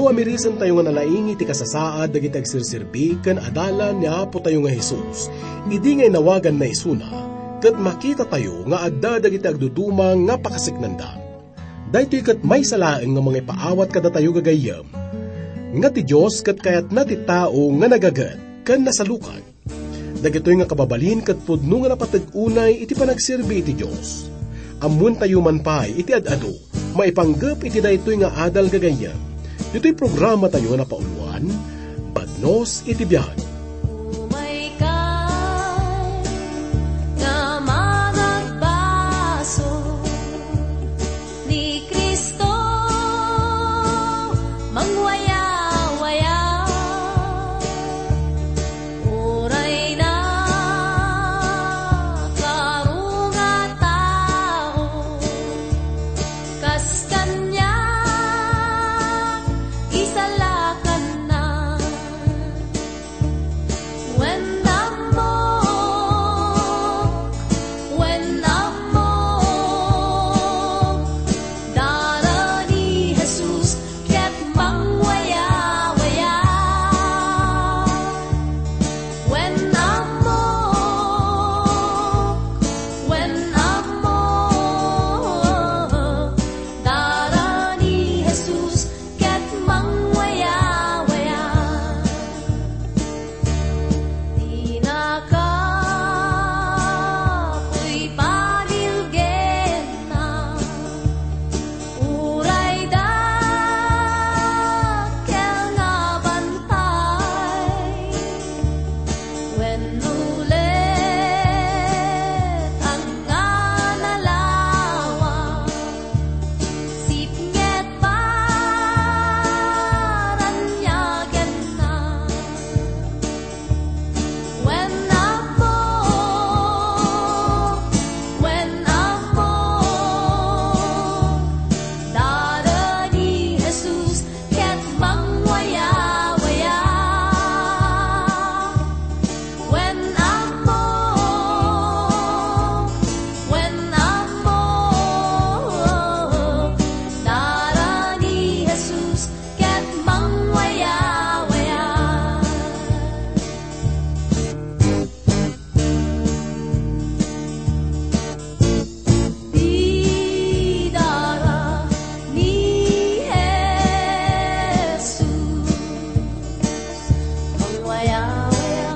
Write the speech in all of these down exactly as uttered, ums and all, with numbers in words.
Amirisentayo nga nalaing iti kasasaad dagiti agserserbi ken adalan ni Apotayo nga Jesus, idi nga inawaganna isuna, ket makitatayo nga adda dagiti agduduma nga pakaseknanda. Daytoy ket maysa laeng nga mangipaawat kadatayo gagayyem, nga ti Dios ket kayatna ti tao nga nagaget ken nasalukag. Dagitoy nga kababalin ket pudno nga napateg unay iti panagserbi iti Dios. Ammoentayo man pay iti ad-adu, maipanggep iti daytoy nga adal gagayyem. Ditoy programatayo nga napauloan, Badnos iti Biag. Umaykay nga managbaso ni Cristo, mangwayawaya. Uray na karunga tao, kas kaniak, isalakanna. Wen ammok, wen ammok, dara ni Jesus ket mangwayawaya. Wen ammok, wen ammok, dara ni Jesus ket mangwayawaya. Dinaka puy pabilgenna, uray dakkel nga bantay, wenno letan nga nalawa. Sipnget paraniagenna. Wen ammok, wen ammok, dara ni Jesus ket mangwayawaya. Wen ammok, wen ammok, dara ni Jesus ket mangwayawaya. Dara ni Jesus, mangwayawaya.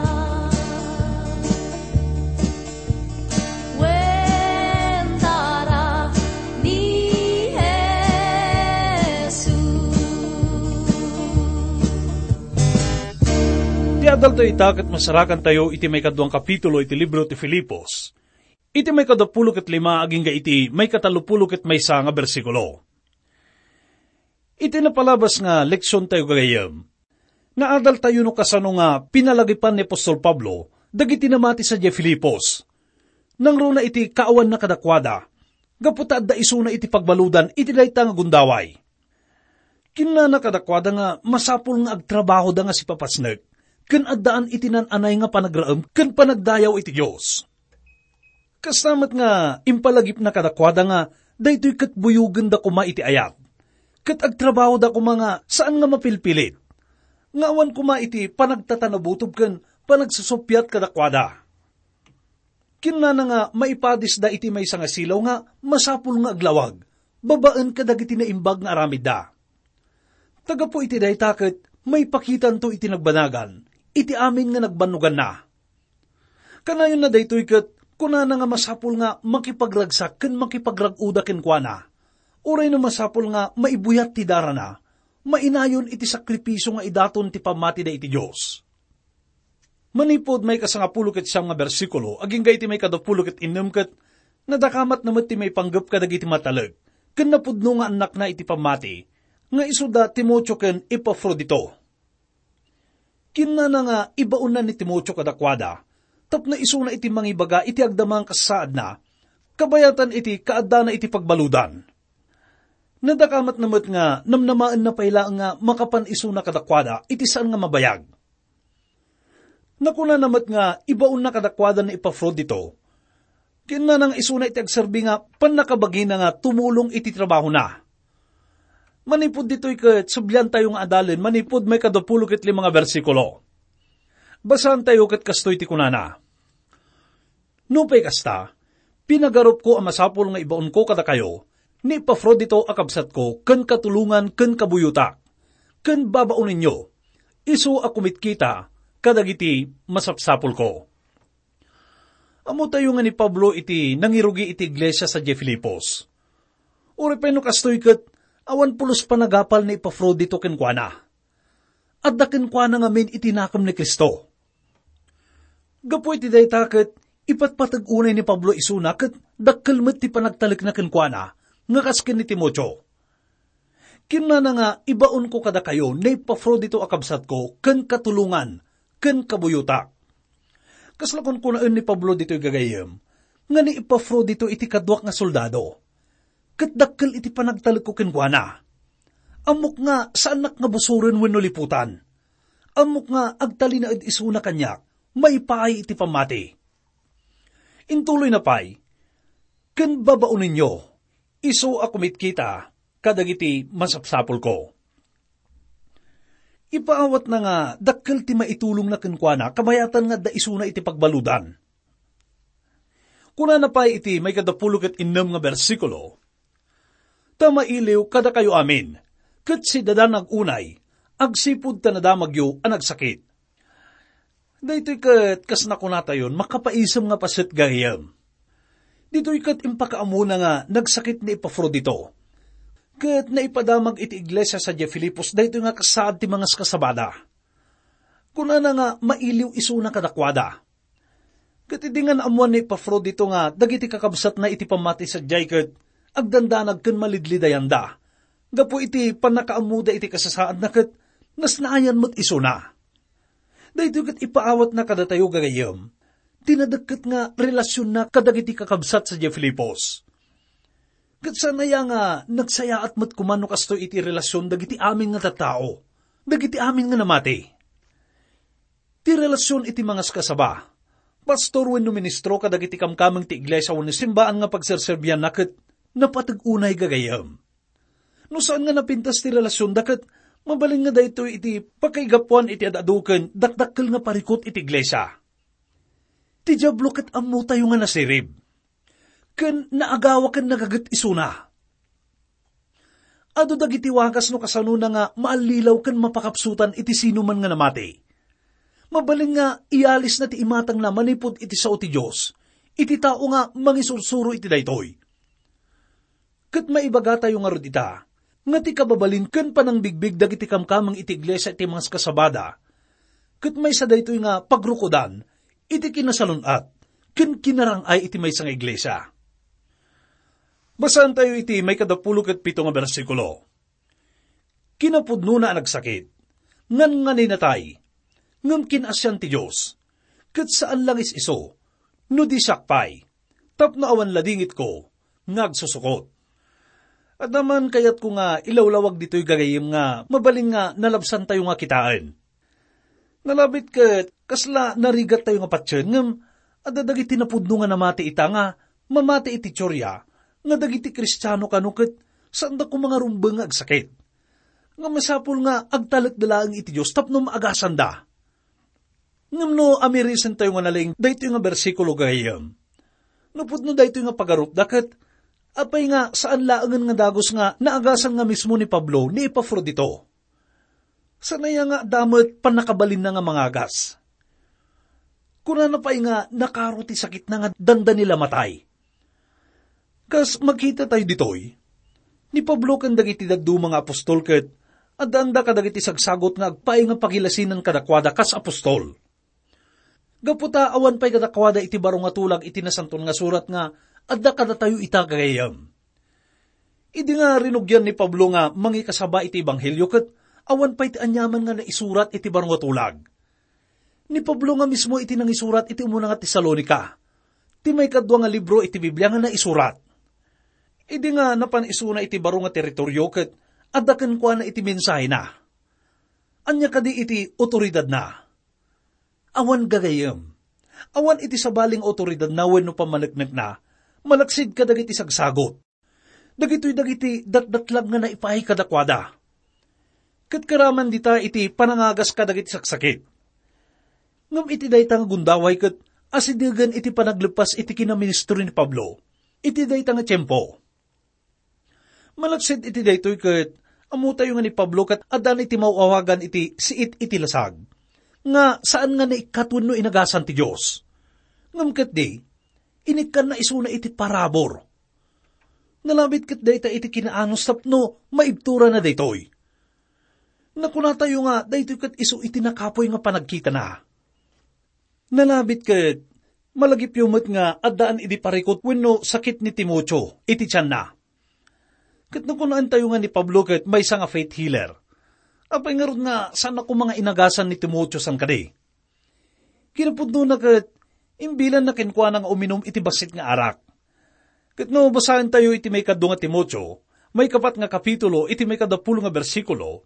Wen dara ni Jesus. Ti adaltayo ita ket masarakantayo iti maikaduang kapitulo iti libro ti Filipos. Iti maikadapulo ket lima agingga iti maikatalupulo ket maysa nga bersikulo. Iti napalabas nga leksiontayo gagayyem, naadaltayo no kasano nga pinalagipan ni apostol Pablo dagiti namati sadiay Filipos. Nangruna iti kaawanna kadakuada, gapu ta adda isuna iti pagbaludan iti dayta nga gundaway. Kinnana kadakuada nga masapul nga agtrabahoda nga sipapasnek, ken addaan iti nan-anay nga panagraem ken panagdayaw iti Dios. Kasta met nga impalagipna kadakuada nga daytoy ket buyogenda koma iti ayat, ket agtrabahoda koma nga saan nga mapilpilit, nga awan koma iti panagtatanabutob ken panagsasuppiat kadakuada. Kinnana nga maipadisda iti maysa nga silaw nga masapul nga aglawag babaen kadagiti naimbag nga aramidda. Ta gapu iti dayta ket maipakitanto iti nagbanagan iti amin nga nagbannoganna. Kanayonna daytoy ket kunana nga masapul nga makipagragsak ken makipagrag-oda kenkuana. Uray no masapul nga maibuyat ti darana, mainayon iti sakripisio nga idaton ti pammatida iti Dios. Manipud maikasangapulo ket siam nga bersikulo agingga iti maikadapulo ket innem ket nadakamatna met ti maipanggep kadagiti matalek ken napudno nga annakna iti pammati, nga isuda Timoteo ken Epafrodito. Kinnana nga ibaonna ni Timoteo kadakuada tapno isuna iti mangibaga iti agdama nga kasasaadna, kabayatan iti kaaddana iti pagbaludan. Nadakamatna met nga namnamaenna pay laeng nga makapan isuna kadakuada iti saan nga mabayag. Nakunana met nga ibaonna kadakuada ni Epafrodito. Kinnana nga isuna iti agserbi nga pannakabagina nga tumulong iti trabahona. Manipud ditoy ket subliantayo nga adalen manipud maikadapulo ket lima nga bersikulo. Basaantayo ket kastoy ti kunana, "Nupay kasta, pinagarupko a masapul nga ibaonko kadakayo ni Epafrodito a kabsatko ken katulongan ken kabuyotak, ken babaonenyo, isu a kumitkita kadagiti masapsapulko." Ammotayo nga ni Pablo iti nangirugi iti iglesia sadiay Filipos. Uray pay no kastoy ket, awan pulos panagapal ni Epafrodito kenkuana. Adda kenkuana ngamin iti nakem ni Cristo. Gapu iti dayta ket ipatpateg unay ni Pablo isuna ket dakkel met ti panagtalekna kenkuana nga kas ken ni Timoteo. Kinunana nga, "Ibaonko kadakayo ni Epafrodito a kabsatko ken katulongan ken kabuyotak." Kasla kunkunaen ni Pablo ditoy gagayyem nga ni Epafrodito iti kaduak nga soldado, ket dakkel iti panagtalekko kenkuana. Ammok nga saannak nga busoren wenno liputan. Ammok nga agtalinaed isuna kaniak maipaay iti pammati. Intuloyna pay, "Ken babaonenyo, isu a kumitkita kadagiti masapsapulko." Ipaawatna nga dakkel ti maitulongna kenkuana kabayatan nga adda isuna iti pagbaludan. Kunana pay iti maikadapulo ket innem nga bersikulo, "Ta mailiw kadakayo amin, ket sidadanag unay, agsipud ta nadamagyo a nagsakit." Daytoy ket kas nakunatayon, makapaisem nga paset gagayyem. Ditoy ket impakaammona nga nagsakit ni Epafrodito. Ket naipadamag iti iglesia sadiay Filipos daytoy nga kasaad ti mangaskasabada. Kunana nga mailiw isuna kadakuada. Ket idi nga naammoan ni Epafrodito nga dagiti kakabsatna iti pammati sadiay ket agdandanag ken malidlidayanda gapu iti pannakaammoda iti kasasaadna ket nasnaayan met isuna. Daytoy ket ipaawatna kadatayo gagayyem ti nadekket nga relasionna kadagiti kakabsat sadiay Filipos. Ket saan aya nga nagsayaat met koma no kastoy iti relasion dagiti amin nga tattao, dagiti amin nga namati? Ti relasion iti mangaskasaba, pastor wenno ministro kadagiti kamkameng ti iglesia wenno simbaan nga pagserserbianna ket napateg unay gagayyem. No saan nga napintas ti relasionda ket mabalin nga daytoy iti pakaigapuan iti ad-adu ken dakdakkel nga parikut iti iglesia. Ti Diablo ket ammotayo nga nasirib, ken naagawa ken nagaget isuna. Adu dagiti wagas no kasanona nga maallilaw ken mapakapsutan iti sinuman nga namati. Mabalin nga iyalisna ti imatangna manipud iti sao ti Dios, iti tao nga mangisursuro iti daytoy. Ket maibagatayo ngarud ita, nga ti kababalin ken panangbigbig dagiti kamkameng iti iglesia iti mangaskasabada, ket maysa daytoy nga pagrukodan iti kinasalun-at ken kinarang-ay iti maysa nga iglesia. Basaantayo iti maikadapulo ket pito nga bersikulo. Kinapudnona a nagsakit, ngan-nganay natay, ngem kin-asian ti Dios, ket saan langis isu, no di siak pay, tapno awan ladingitko nga agsusukot. Adda man kayatko nga ilawlawag ditoy gagayyem nga mabalin nga nalabsantayo nga kitaen. Nalabit ket kasla narigattayo nga patien, ngem adda dagiti napudno nga namati ita nga mamati iti teoria nga dagiti Kristiano kano ket saanda koma nga rumbeng nga agsakit. Nga masapul nga agtalekda laeng iti Dios tapno maagasanda. Ngem no amirisentayo nga nalaing daytoy nga bersikulo gagayyem, no pudno daytoy nga pagarupda ket apay nga saan laengen nga dagus nga naagasan nga mismo ni Pablo ni Epafrodito? Saan aya nga adda met pannakabalinna nga mangagas? Kunana pay nga nakaro ti sakitna nga dandani la matay. Kas makitatayo ditoy, ni Pablo ken dagiti dadduma nga apostol ket addaanda kadagiti sagsagot nga agpaay nga pagilasinan kadakuada kas apostol. Gapu ta awan pay kadakuada iti baro nga tulag iti Nasantoan nga Surat nga adda kadatayo ita gagayyem. Idi nga rinugian ni Pablo nga mangikasaba iti ebanghelio ket awan pay ti aniaman nga naisurat iti baro nga tulag. Ni Pablo nga mismo iti nangisurat iti umuna nga Tesalonica, ti maikadua nga libro iti Biblia nga naisurat. Idi nga napan isuna iti baro nga teritorio ket adda kenkuana iti mensahena. Ania kadi iti otoridadna? Awan gagayyem. Awan iti sabali nga otoridadna wenno pammaneknekna, malaksid kadagiti sagsagot. Dagitoy dagiti datdatlag nga naipaay kadakuada. Ket karaman dita iti panangagas kadagiti saksakit. Ngem iti dayta nga gundaway ket asidegen iti panagleppas iti kinaministro ni Pablo iti dayta nga tiempo. Malaksid iti daytoy ket ammotayo nga ni Pablo ket addan iti maw-awagan iti siit iti lasag, nga saan nga naikkat wenno inagasan ti Dios. Ngem ketdi, inikkanna isuna iti parabur. Nalabit ket dayta iti kinaanus tapno maibturana daytoy. Nakunatayo nga daytoy ket isu iti nakapuy nga panagkitana. Nalabit ket malagipyo met nga addaan idi parikut wenno sakit ni Timoteo iti tianna. Ket nakunaentayo nga ni Pablo ket maysa nga faith healer. Apay ngarud nga saan a koma nga inagasan ni Timoteo saan kadi? Kinapudnona ket imbilanna kenkuana nga uminum iti bassit nga arak. Ket no basaentayo iti maikadua nga Timoteo, maikapat nga kapitulo, iti maikadapulo nga bersikulo,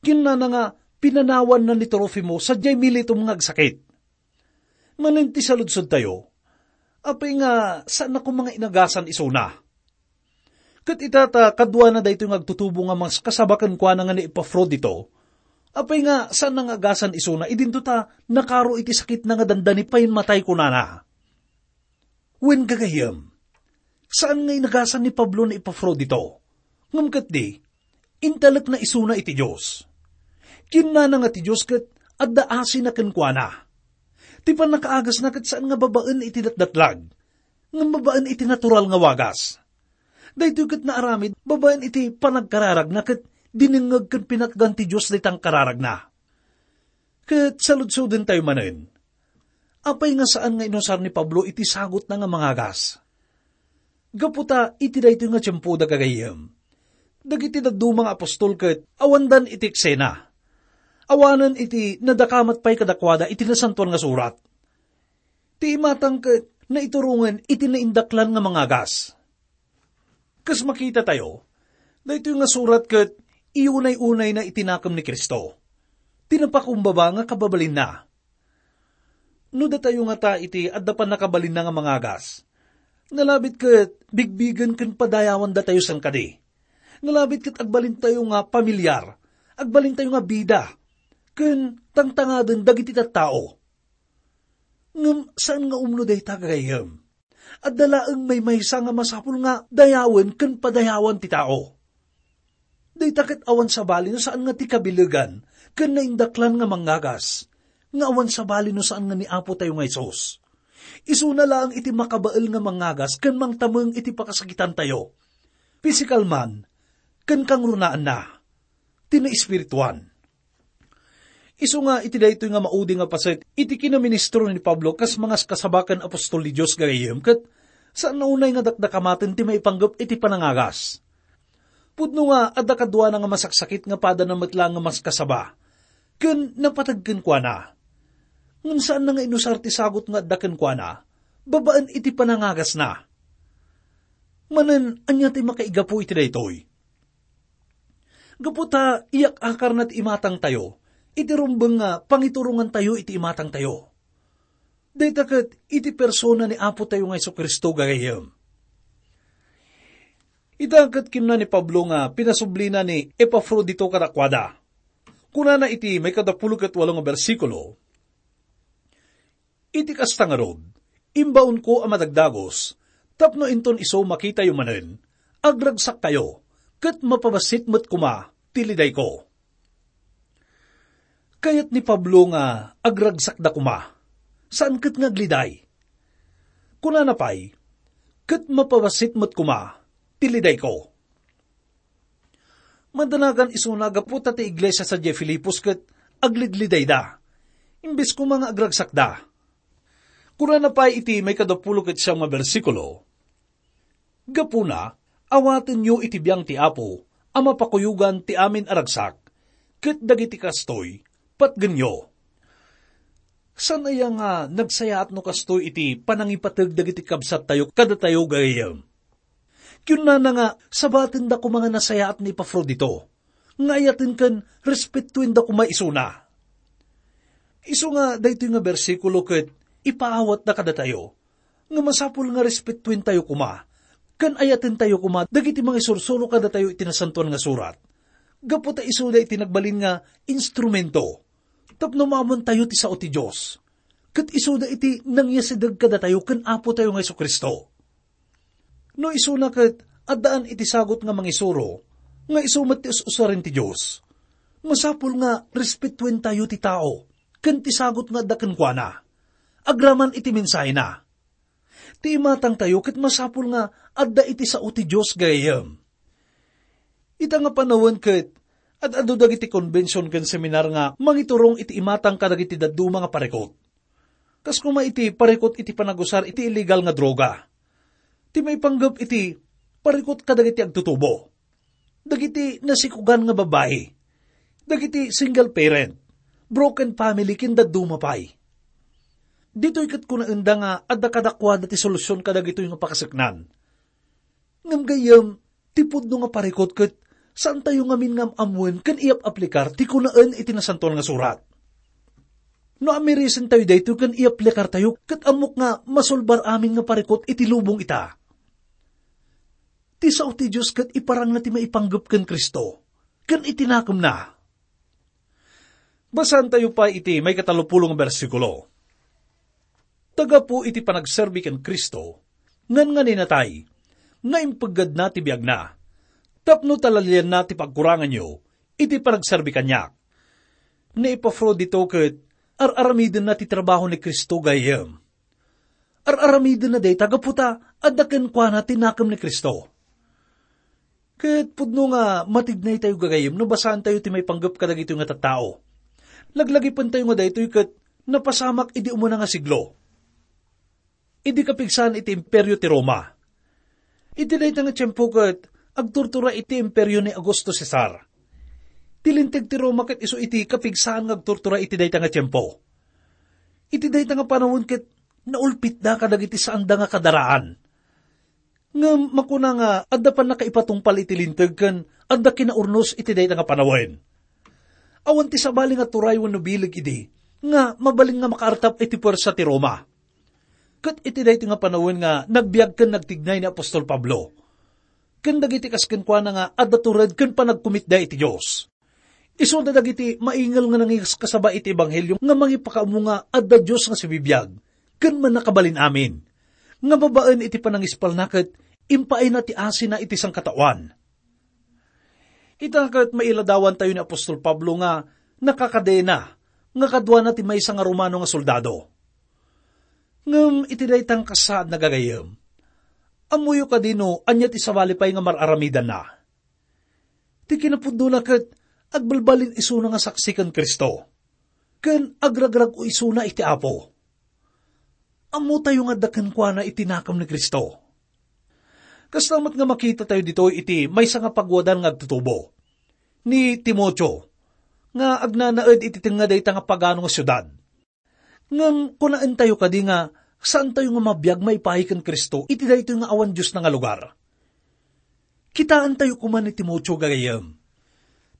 kinunana nga pinanawanna ni Trofimo sadiay Miletum nga agsakit. Manen ti saludsottayo, apay nga saan a koma nga inagasan isuna. Ket ita ta kaduana daytoy nga agtutubo nga maskasaba kenkuana nga ni Epafrodito, apay nga saan nga agasan isuna idinto ta nakaro iti sakitna nga dandani payen matay kunana. Wen gagayyem, saan nga inagasan ni Pablo ni Epafrodito. Ngem ketdi, intalekna isuna iti Dios. Kinnana nga ti Dios ket adda asina kenkuana. Ti pannakaagasna ket saan nga babaen iti datdatlag, ngem babaen iti natural nga wagas. Daytoy ket naaramid babaen iti panagkararagna ket dinengngeg ken pinatgan ti Dios dayta nga kararagna. Ket saludsodentayo manen, apay nga saan nga inusar ni Pablo iti sagutna nga mangagas? Gapu ta iti daytoy nga tiempoda gagayyem, dagiti dadduma nga apostol ket awandan iti eksena. Awanen iti nadakamat pay kadakuada iti Nasantoan nga Surat. Ti imatang ket naiturongen iti naindaklan nga mangagas. Kas makitatayo, daytoy nga surat ket iunay-unayna iti nakem ni Cristo, ti napakumbaba nga kababalinna. No datayo ngata iti adda pannakabalinna nga mangagas, nalabit ket bigbigen ken padayawan datayo saan kadi. Nalabit ket agbalintayo nga pamilyar, agbalintayo nga bida, ken tangtangaden dagiti tattao. Ngem saan nga umno dayta, gagayyem. Adda laeng maymaysa nga masapul nga dayawen ken padayawan ti tao. Dayta ket awan sabali no saan nga ti kabilegan ken naindaklan nga mangagas, nga awan sabali no saan nga ni Apo tayo nga Jesus. Isuna laeng iti makabael nga mangagas ken mangtameng iti pakasakitantayo, pisikal man ken kangrunaanna, ti naespirituan. Isu nga iti daytoy nga maudi nga paset iti kinaministro ni Pablo kas mangaskasaba ken apostol ni Dios gagayyem ket saan a unay nga dakdakamaten ti maipanggep iti panangagas. Pudno nga adda kaduana nga masaksakit nga padana met laeng nga maskasaba ken napateg kenkuana. Ngem saan na nga inusar ti sagut nga adda kenkuana babaen iti panangagasna. Manen, ania ti makaigapu iti daytoy? Gapu ta iyak-akarna ti imatangtayo, iti rumbeng nga pangiturongantayo iti imatangtayo. Dayta ket iti persona ni Apo tayo nga Jesu-Cristo, gagayyem. Ita ket kinuna ni Pablo nga pinasublina ni Epafrodito kadakuada. Kunana iti maikadapulo ket walo nga bersikulo, "Iti kasta ngarud, imbaonko a madagdagos, tapno inton isu makitayo manen, agragsakkayo, ket mapabassit met koma ti lidayko." Kayat ni Pablo nga agragsakda koma, saan ket nga agliday. Kunana pay, "Ket mapabassit met koma ti lidayko." Madanagan isuna gapu ta ti iglesia sadiay Filipos ket aglidlidayda, imbes koma nga agragsakda. Kunana pay iti maikadapulo ket siam nga bersikulo, "Gapuna, awatenyo iti biang ti Apo a mapakuyogan ti amin a ragsak, ket dagiti kastoy, patgenyo." Saan aya nga nagsayaat no kastoy iti panangipateg dagiti kabsattayo kadatayo, gagayyem? Kinunana nga sabatenda koma nga nasayaat ni Epafrodito, nga ayaten ken respetuenda koma isuna. Isu nga daytoy nga bersikulo ket ipaawatna kadatayo nga masapul nga respetuentayo koma Ken ayatentayo koma dagiti mangisursuro kadatayo iti Nasantoan nga Surat, gapu ta isuda iti nagbalin nga instrumento tapno maammoentayo ti sao ti Dios, ket isuda iti nangyasideg kadatayo ken Apotayo nga Jesu-Cristo. No isuna ket addaan iti sagut nga mangisuro nga isu met ti us-usaren ti Dios, masapul nga respetuentayo ti tao ken ti sagut nga adda kenkuana agraman iti mensahena. Ti imatangtayo ket masapul nga adda iti sao ti Dios, gayyem. Ita nga panawen ket ad-adu dagiti konbension ken seminar nga mangiturong iti imatang kadagiti dadduma nga parikut. Kas koma iti parikut iti panagusar iti illegal nga droga. Ti maipanggep iti parikut kadagiti agtutubo, dagiti nasikogan nga babbai, dagiti single parent, broken family, ken dadduma pay. Ditoy ket kunaenda nga adda kadakuada ti solusion kadagitoy nga pakaseknan. Ngem gayyem, ti pudno nga parikut ket saantayo ngamin nga am-ammoen ken iyap-aplikar ti kunaen iti Nasantoan nga Surat. No amirisentayo daytoy ken iyaplikartayo, ket ammok nga masulbar amin nga parikut iti lubong ita. Ti sao ti Dios ket iparangna ti maipanggep ken Cristo ken iti nakemna. Basaentayo pay iti maikatalopulo nga bersikulo. Ta gapu iti panagserbi ken Cristo, ngan nga ninatay, nga impeggadna ti biagna, tapno talalianna ti pagkuranganyo iti panagserbi kaniak. Ni Epafrodito ket ar-aramidenna ti trabaho ni Cristo, gayyem. Ar-aramidenna dayta gapu ta adda kenkuana ti nakem ni Cristo. Ket pudno nga matignaytayo, gagayyem, no basaentayo ti maipanggep kadagitoy nga tattao. Laglagipentayo nga daytoy ket napasamak idi umuna nga siglo, idi kapigsaan iti Imperio ti Roma. Iti dayta nga tiempo ket agturtura iti imperio ni Augusto Cesar. Ti Linteg ti Roma ket isu iti kapigsaan nga agturtura iti dayta nga tiempo. Iti dayta nga panawen ket naulpitda kadagiti saanda nga kadaraan. Ngem makuna nga adda pannakaipatungpal iti Linteg ken adda kinaurnos iti dayta nga panawen. Awan ti sabali nga turay wenno bileg idi nga mabalin nga makaartap iti puersa ti Roma. Ket iti daytoy nga panawen nga nagbiag ken nagtignay ni apostol Pablo ken dagiti kas kenkuana nga adda tured ken panagkumitda iti Dios. Isuda dagiti maingel nga nangiskasaba iti ebanghelio nga mangipakaammo nga adda Dios nga sibibiag ken mannakabalin amin, nga babaen iti panangispalna ket impaayna ti asina iti sangkataoan. Ita ket mailadawantayo ni apostol Pablo nga nakakadena nga kaduana ti maysa nga Romano nga soldado. Ngem iti dayta nga kasaad, gagayyem, ammoyo kadi no ania ti sabali pay nga mar-aramidanna? Ti kinapudnona ket agbalbalin isuna nga saksi ken Cristo, ken agragrag-o isuna iti Apo. Ammotayo nga adda kenkuana iti nakem ni Cristo. Kasta met nga makitatayo ditoy iti maysa nga pagwadan nga agtutubo, ni Timoteo, nga agnanaed iti tengnga dayta nga pagano nga siudad. Ngem kunaentayo kadi nga saantayo nga mabiag maipaay ken Cristo iti daytoy nga awan Diosna nga lugar? Kitaentayo koma ni Timoteo, gagayyem.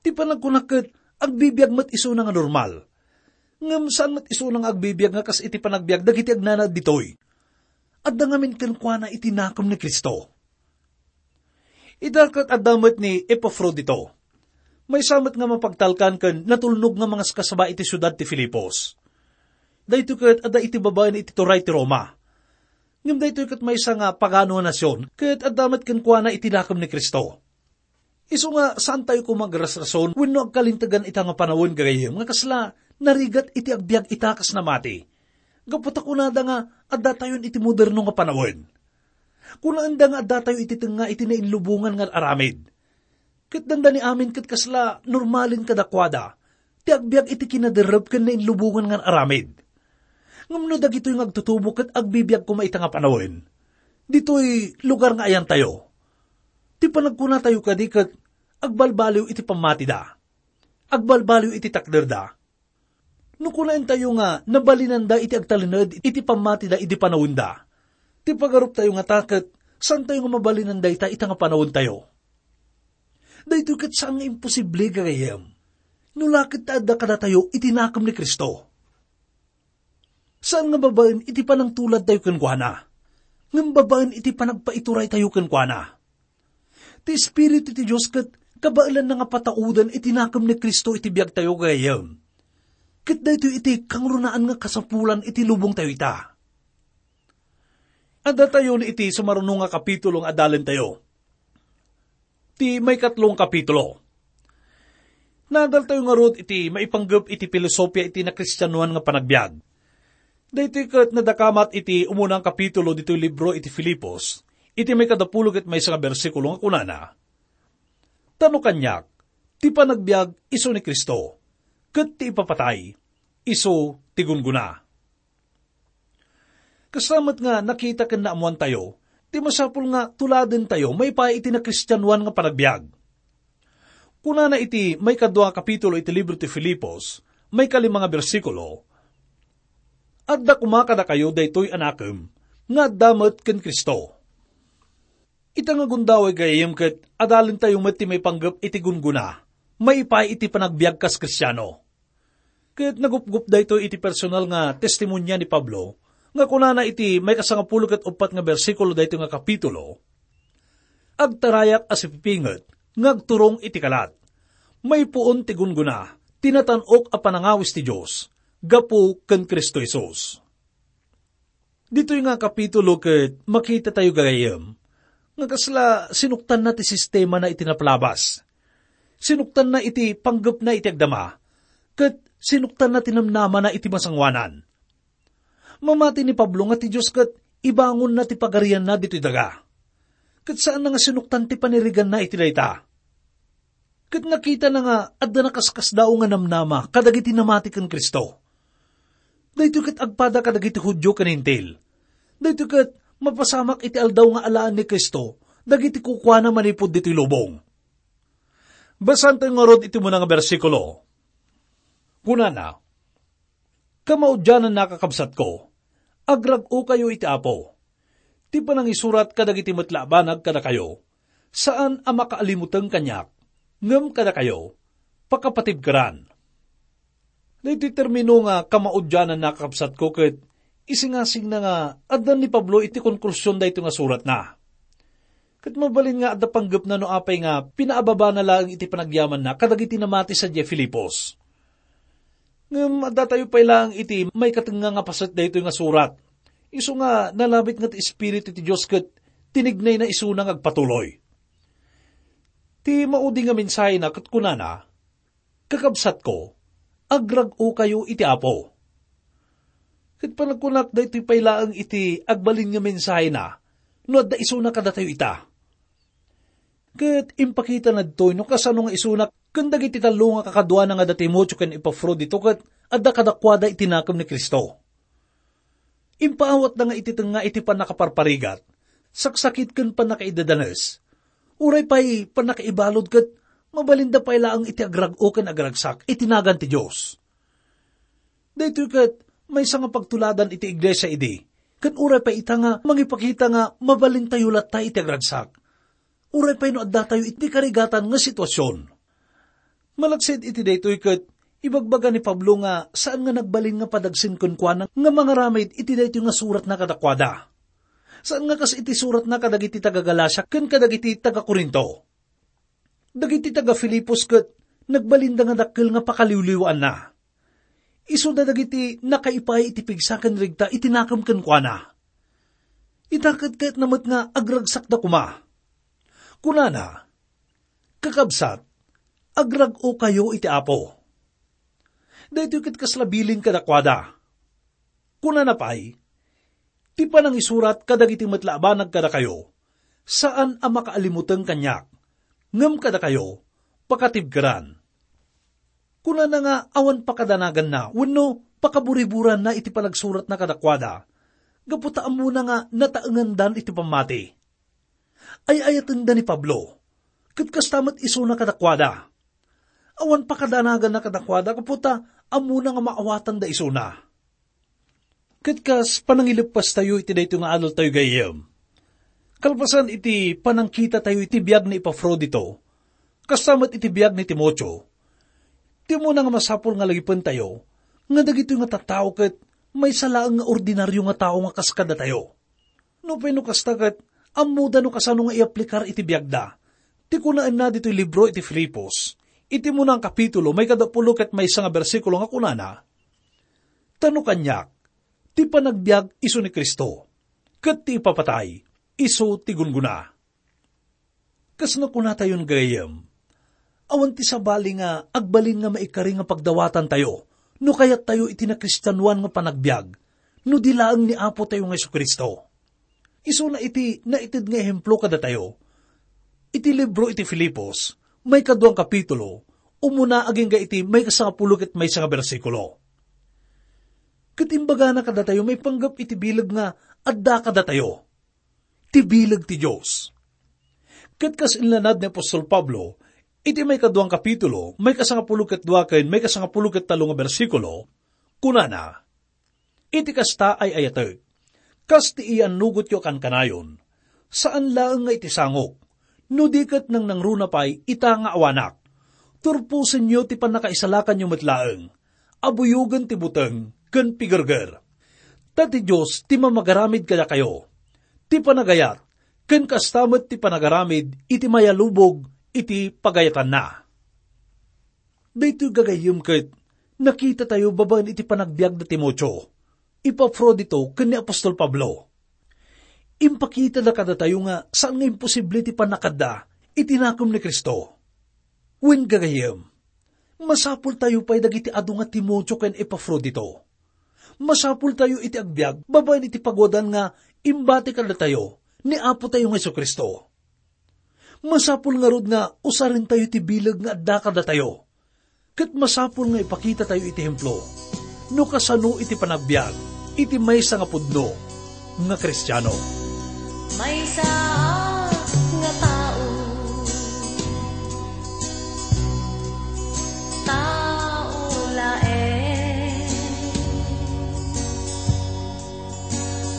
Ti panagkuna ket agbibiag met isuna nga normal. Ngem saan met isuna nga agbibiag nga kas iti panagbiag dagiti agnanaed ditoy. Adda ngamin kenkuana iti nakem ni Cristo. Ita ket adda met ni Epafrodito. Maysa met nga mapagtalkan ken natulnog nga mangaskasaba iti siudad ti Filipos. Daytoy ket adda iti babaen iti turay ti Roma. Ngem daytoy ket maysa nga pagano a nasion, ket adda met kenkuana iti nakem ni Cristo. Isu nga saantayo koma agrasrason wenno agkalintegan ita nga panawen, gagayyem, nga kasla narigat iti agbiag ita kas namati. Gapu ta kunada nga addatayon iti moderno nga panawen. Kunaenda nga addatayo iti tengnga iti nainlubongan nga aramid. Ket dandani amin ket kasla normalen kadakuada ti agbiag iti kinaderrep ken nainlubongan nga aramid. Ngem no dagitoy nga agtutubo ket agbibiag koma ita nga panawen, ditoy lugar nga ayantayo, ti panagkunatayo kadi ket agbalbaliw iti pammatida, agbalbaliw iti takderda. No kunaentayo nga nabalinanda iti agtalinaed iti pammatida idi panawenda, ti pagaruptayo ngata ket saantayo nga mabalinan dayta ita nga panawentayo? Daytoy ket saan nga imposible, gagayyem, no la ket ta adda kadatayo iti nakem ni Cristo. Saan nga babaen iti panangtuladtayo kenkuana. ngem babaen iti panagpaituraytayo kenkuana. Ti Espiritu ti Dios ket kabaelanna nga patauden iti nakem ni Cristo iti biagtayo, gayyem. Ket daytoy iti kangrunaan nga kasapulan iti lubongtayo ita. Addatayon iti sumaruno nga kapitulo nga adalentayo. Ti maikatlo nga kapitulo. Naadaltayo ngarud iti maipanggep iti filosofia iti nakristianoan nga panagbiag. Daytoy ket nadakamat iti umunang kapitulo ditoy libro iti Filipos, iti maikadapulo ket maysa nga bersikulo nga kunana, "Ta no kaniak, ti panagbiag isu ni Cristo, ket ti ipapatay isu ti gunggona." Kasta met nga nakita ken naammoantayo ti masapul nga tuladentayo maipaay iti nakristianoan nga panagbiag. Kunana iti maikadua a kapitulo iti libro ti Filipos, maikalima nga bersikulo, "Adda koma kadakayo daytoy a nakem nga adda met ken Cristo." Ita nga gundaway gayyem ket adalentayo met ti maipanggep iti gunggona maipaay iti panagbiag kas Kristiano. Ket nagupgop daytoy iti personal nga testimonia ni Pablo, nga kunana iti maikasangapulo ket uppat nga bersikulo daytoy nga kapitulo, "Agtarayak a sipipinget nga agturong iti kalat. Maipuon ti gunggona ti natan-ok a panangawis ti Dios gapu ken Cristo Jesus." Ditoy nga kapitulo ket makitatayo, gagayyem, nga kasla sinuktanna ti sistemana iti napalabas. Sinuktanna iti panggepna iti agdama, ket sinuktanna ti namnamana iti masangoanan. Mamati ni Pablo nga ti Dios ket ibangonna ti pagarianna ditoy daga. Ket saanna nga sinuktan ti paniriganna iti dayta. Ket nakitana nga adda nakaskasdaaw nga namnama kadagiti namati ken Cristo. Daytoy ket agpada kadagiti Judio ken Hentil. Daytoy ket mapasamak iti aldaw nga alaen ni Cristo dagiti kukuana manipud ditoy lubong. Basaentayo ngarud iti umuna nga bersikulo. Kunana, "Kamaudiananna, kakabsatko, agrag-okayo iti Apo. Ti panangisurat kadagiti met la a banag kadakayo, saan a makaalimuteng kaniak, ngem kadakayo, pakapatibkeran." Daytoy termino nga kamaudiananna, kakabsatko, ket isingasingna nga addan ni Pablo iti konklusion daytoy nga suratna. Ket mabalin nga adda panggepna no apay nga pinaababana laeng iti panagyamanna kadagiti namati sadiay Filipos. Ngem addatayo pay laeng iti maikatengnga nga paset daytoy nga surat. Isu nga nalabit nga ti Espiritu ti Dios ket tinignayna isuna nga agpatuloy. Ti maudi nga mensahena ket kunana, "Kakabsatko, agrag-okayo iti Apo." Ket panagkunak, daytoy pay laeng iti agbalin nga mensahena no adda isuna kadatayo ita. Ket impakitana ditoy no kasano nga isuna ken dagiti tallo nga kakaduana nga da Timoteo ken Epafrodito ket adda kadakuada iti nakem ni Cristo. Impaawatda nga iti tengnga iti pannakaparparigat, saksakit ken pannakaidadanes. Uray pay pannakaibalud ket mabalinda pay laeng iti agrag-o ken agragsak iti nagan ti Dios. Daytoy ket maysa nga pagtuladan iti iglesia idi, ket uray pay ita nga mangipakita nga mabalintayo latta iti agragsak. Uray pay no addatayo iti karigatan nga situasion. Malaksid iti daytoy ket ibagbaga ni Pablo nga saan nga nagbalin nga padagsen kenkuana nga mangaramid iti daytoy nga suratna kadakuada. Saan nga kas iti suratna kadagiti taga-Galacia ken kadagiti taga-Corinto. Dagiti taga-Filipos ket nagbalinda nga dakkel nga pakaliwliwaanna. Isuda dagiti nakaipaay iti pigsa ken regta iti nakem kenkuana. Ita ket kayatna met nga agragsakda koma. Kunana, "Kakabsat, agrag-okayo iti Apo." Daytoy ket kasla bilin kadakuada. Kunana pay, "Ti panangisurat kadagiti met la a banag kadakayo, saan a makaalimuteng kaniak, ngem kadakayo, pakatibkeran." Kunana nga awan pakadanaganna wenno pakaburiburanna iti panagsuratna kadakuada, gapu ta ammona nga nataengandan iti pammati. Ay-ayatenda ni Pablo, ket kasta met isuna kadakuada. Awan pakadanaganna kadakuada gapu ta ammona nga maawatanda isuna. Ket kas panangileppastayo iti daytoy nga adaltayo gayyem, kalpasan iti panangkitatayo iti biag ni Epafrodito, kasta met iti biag ni Timoteo, ti umuna nga masapul nga lagipentayo nga dagitoy nga tattao ket maysa laeng nga ordinario nga tao nga kas kadatayo. Nupay no kasta ket, ammoda no kasano nga iaplikar iti biagda. Ti kunaenna ditoy libro iti Filipos, iti umuna a kapitulo, maikadapulo ket maysa nga bersikulo nga kunana, "Ta no kaniak, ti panagbiag isu ni Cristo, ket ti ipapatay isu ti gunggona." Kasno kunatayon, gagayyem, awan ti sabali nga agbalin nga maikari nga pagdawatantayo no kayattayo iti nakristianoan nga panagbiag, no di laeng ni Apotayo nga Jesu-Cristo. Isuna iti naited nga ehemplo kadatayo, iti libro iti Filipos, maikadua a kapitulo, umuna agingga iti maikasangapulo ket maysa nga bersikulo. Ket imbagana kadatayo maipanggep iti bileg nga adda kadatayo, ti bileg ti Dios. Ket kas inlanad ni apostol Pablo, iti maikadua a kapitulo, maikasangapulo ket dua ken maikasangapulo ket tallo nga bersikulo, kunana, "Iti kasta, ay-ayatek, kas ti iannugotyo a kankanayon, saan laeng nga iti sangok, no di ket nangnangruna pay ita nga awanak. Turposenyo ti pannakaisalakanyo met laeng, abuyogen ti buteng ken pigerger. Ta ti Dios ti mamagaramid kadakayo, ti panagayat, ken kasta met ti panagaramid iti mayalubog iti pagayatanna." Daytoy, gagayyem, ket nakitatayo babaen iti panagbiag da Timoteo, Epafrodito, ken ni apostol Pablo. Impakitada kadatayo nga saan nga imposible ti pannakadda iti nakem ni Cristo. Wen, gagayyem, masapultayo pay dagiti adu nga Timoteo ken Epafrodito. Masapultayo iti agbiag babaen iti paguadan nga imbati kadatayo ni Apotayo nga Jesu-Cristo. Masapul ngarud nga usarentayo ti bileg nga adda kadatayo. Ket masapul nga ipakitatayo iti ehemplo no kasano iti panagbiag iti maysa nga pudno nga Kristiano. Maysa nga tao, tao laeng.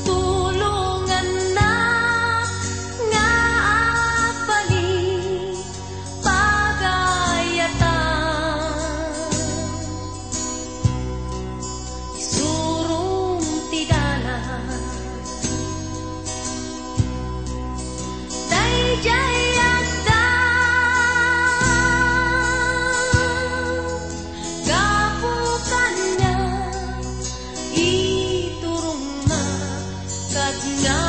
Tulonganna nga agbalik pagayatan. Isurom ti dalan. Daydiay adda gapu kaniak, iturongna, ket nga